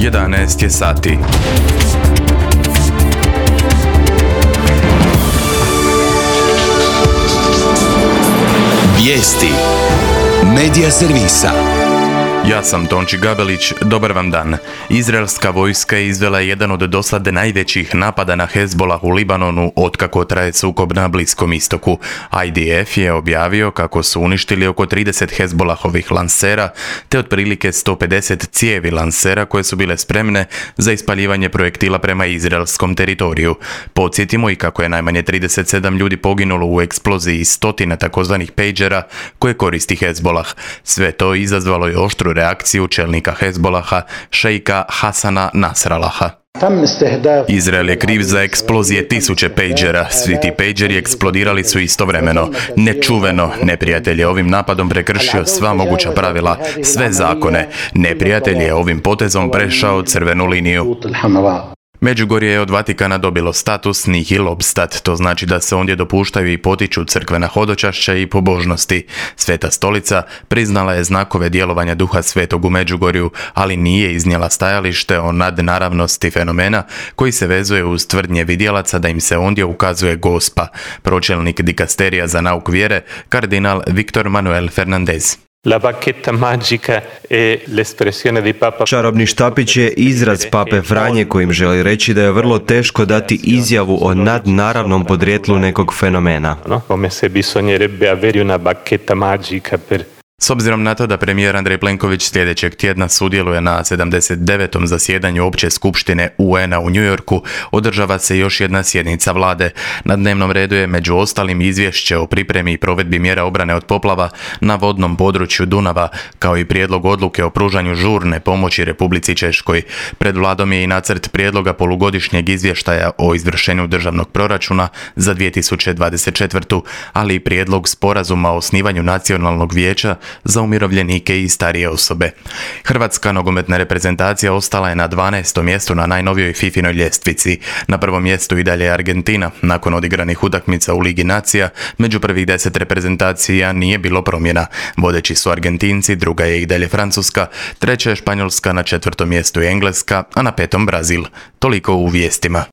11 je sati. Vijesti Medija servisa. Ja sam Tonči Gabelić, dobar vam dan. Izraelska vojska je izvela jedan od dosad najvećih napada na Hezbolah u Libanonu otkako traje sukob na Bliskom istoku. IDF je objavio kako su uništili oko 30 Hezbolahovih lansera te otprilike 150 cijevi lansera koje su bile spremne za ispaljivanje projektila prema izraelskom teritoriju. Podsjetimo i kako je najmanje 37 ljudi poginulo u eksploziji stotina takozvanih pejđera koje koristi Hezbolah. Sve to izazvalo je oštru reakciju čelnika Hezbolaha, šejka Hasana Nasralaha. Izrael je kriv za eksplozije tisuće pejđera. Svi ti pejđeri eksplodirali su istovremeno. Nečuveno, neprijatelj je ovim napadom prekršio sva moguća pravila, sve zakone. Neprijatelj je ovim potezom prešao crvenu liniju. Međugorje je od Vatikana dobilo status nihil obstat, to znači da se ondje dopuštaju i potiču crkvena hodočašća i pobožnosti. Sveta stolica priznala je znakove djelovanja Duha Svetog u Međugorju, ali nije iznijela stajalište o nadnaravnosti fenomena koji se vezuje uz tvrdnje vidjelaca da im se ondje ukazuje Gospa. Pročelnik dikasterija za nauk vjere, kardinal Victor Manuel Fernandez. La bacchetta magica è l'espressione di Papa. Čarobni štapić je izraz pape Franje kojim želi reći da je vrlo teško dati izjavu o nadnaravnom podrijetlu nekog fenomena. Come se bisognerebbe avere una bacchetta magica per. S obzirom na to da premijer Andrej Plenković sljedećeg tjedna sudjeluje na 79. zasjedanju Opće skupštine UN-a u New Yorku, održava se još jedna sjednica vlade. Na dnevnom redu je među ostalim izvješće o pripremi i provedbi mjera obrane od poplava na vodnom području Dunava, kao i prijedlog odluke o pružanju žurne pomoći Republici Češkoj. Pred vladom je i nacrt prijedloga polugodišnjeg izvještaja o izvršenju državnog proračuna za 2024. ali i prijedlog sporazuma o osnivanju nacionalnog vijeća za umirovljenike i starije osobe. Hrvatska nogometna reprezentacija ostala je na 12. mjestu na najnovijoj FIFInoj ljestvici. Na prvom mjestu i dalje je Argentina. Nakon odigranih utakmica u Ligi nacija, među prvih 10 reprezentacija nije bilo promjena. Vodeći su Argentinci, druga je i dalje Francuska, treća je Španjolska, na 4. mjestu je Engleska, a na 5. Brazil. Toliko u vijestima.